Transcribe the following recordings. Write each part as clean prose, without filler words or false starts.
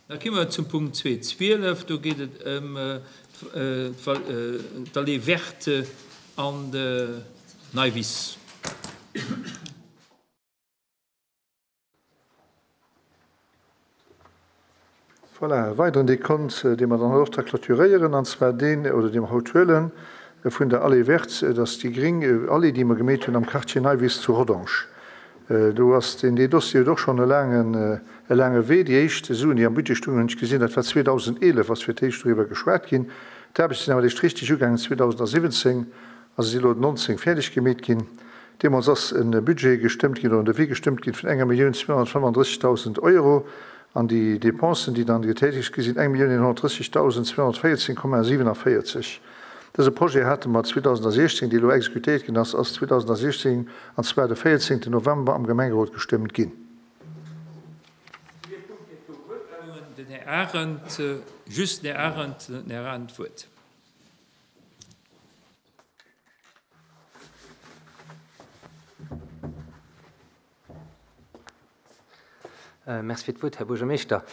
Da komme mer zum Punkt 2.12. Do geet et ëm d'Allée verte an der Neiwiss. Voilà, e weideren Dekont, dee mer dann haut och da clôturéieren, an zwar deen, oder dee mer haut huelen, vun der Allée verte. Et ass déi gréng Allée, déi mer gemeet hunn am Quartier Neiwiss zu Rodange. Do ass deen, dee Dossier huet och schonn e laangen, e laange Wee. Déi éischt Suen, déi am Budget stungen, hunn ech gesinn, dat war 2011, ass fir d'éischt doriwwer geschwat ginn. D'Aarbechte sinn awer eréischt richteg ugaangen 2017 a se si elo 19 fäerdeg gemeet ginn. Deemools ass e Budget gestëmmt ginn, oder en Devis gestëmmt ginn vun enger 1.235.000 Euro an déi Dépensen, déi dann getätegt gi sinn, 1.130.214,47. Dëse Projet hate mer 2016, dee elo exekutéiert ginn ass, ass 2016, an zwar de 14 November, am Gemengerot gestëmmt ginn. Den Här Arendt, just den Här Arendt, den Här Arendt d'Wuert. Merci fir d'Wuert, Här Buergermeeschter.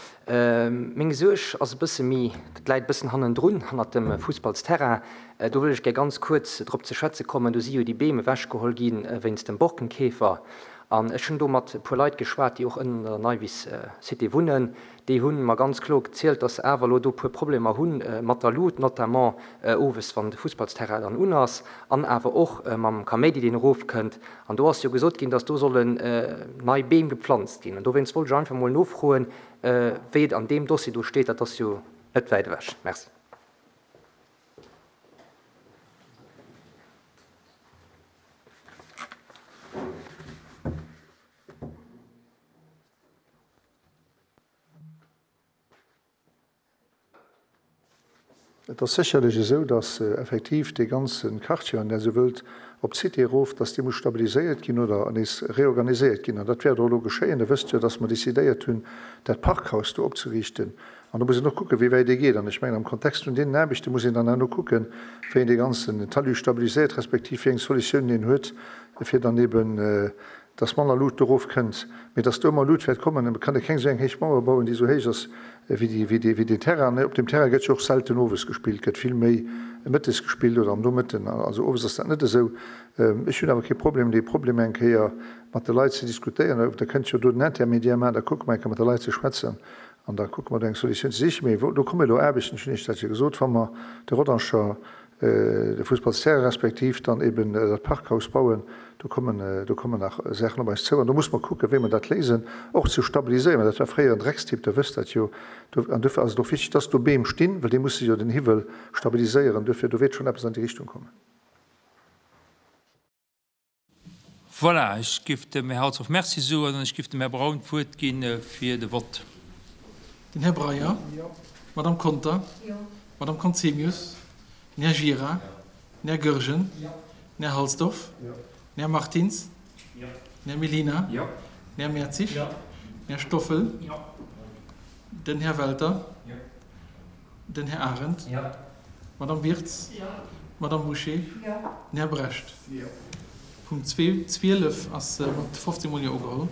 Meng Suerg ass e bësse méi, dat läit e bëssen hannendrun, hannert dem Fussballsterrain. Do wëll ech gär ganz kuerz drop ze schwätze kommen. Do si jo déi Beem ewechgeholl gi wéinst dem Borkenkäfer. An ech hunn do mat e puer Leit geschwat, déi och ënnen an der Neiwiss Cité wunnen. Déi hu mer ganz kloer gezielt, dass se awer elo do e puer Problemer hu mat der Lut, notamment owes, wann de Fussballsterrain dann un ass, an awer och mam Kaméidi, deen erofkënnt. An do ass jo gesot ginn, dass do sollen nei Beem geplanzt ginn. An dowéinst wollt ech einfach emol nofroen, wéi et an deem Dossier do steet. Dat ass jo net wäit ewech. Merci. Et ass sécherlech esou, dass effektiv dee ganze Quartier, wann Der esou wëllt, op d'Cité erof, dass dee muss stabiliséiert ginn oder nees reorganiséiert ginn. An dat wäert och elo geschéien. Der wësst jo, dass mer décidéiert hunn, dat Parkhaus do opzeriichten. An do muss een och kucken, wéi wäit ee geet. An ech mengen, am Kontext vun deenen Aarbechte muss een dann herno kucken, wéi een dee ganzen Talus stabiliséiert, respektiv wéi eng Solutiounen een huet, fir dann eben dass manner Lut erof kënnt, mee dass do ëmmer Lut wäert kommen. Et kann ee keng esou eng héich Mauer bauen, déi esou héich ass wéi déi, wéi dee, wéi deen Terrain. Op deem Terrain gëtt jo och selten owes gespillt, gëtt vill méi mëttes gespillt oder am Nomëtten. Also owes ass dat net esou. Ech hunn awer kee Problem, dee Problem eng Kéier mat de Leit ze diskutéieren. Der kënnt jo do den Intermédiaire maachen, da kucke mer eng Kéier mat de Leit ze schwätzen an da kucke mer do eng Solutioun ze sichen. Mee do komme elo Aarbechten, ech hunn Iech dat jo gesot, wa mer de Rodanger de Fussballsterrain respektiv dann eben dat Parkhaus bauen, do kommen, do kommen nach Saachen op eis zou an do muss mer kucken, wéi mer dat léisen, och ze stabiliséieren, well dat war fréier en Dreckstipp, Der wësst dat jo. Do, an duerfir ass et och wichteg, dass do Beem stinn, well déi musse jo den Hiwwel stabiliséieren. Duerfir, do wäert schonn eppes an déi Richtung kommen. Voilà, ech géif dem Här Halsdorf Merci soen an ech géif dem Här Braun d'Wuert gi fir de Vott. Den Här Breyer. Jo. D'Madame Conter. Jo. D'Madame Conzemius. Den Här Gira. Den Här Goergen. Jo. Den Här Halsdorf. Jo. Den Här Martins. Jo. Den Här Mellina. Jo. Den Här Mertzig. Jo. Den Här Stoffel. Jo. Den Här Welter. Jo. Den Här Arendt. Jo. D'Madame Wirtz. Jo. D'Madame Bouché. Jo. Den Här Brecht. Jo. Punkt 12 ass mat 15 mol Jo ugeholl.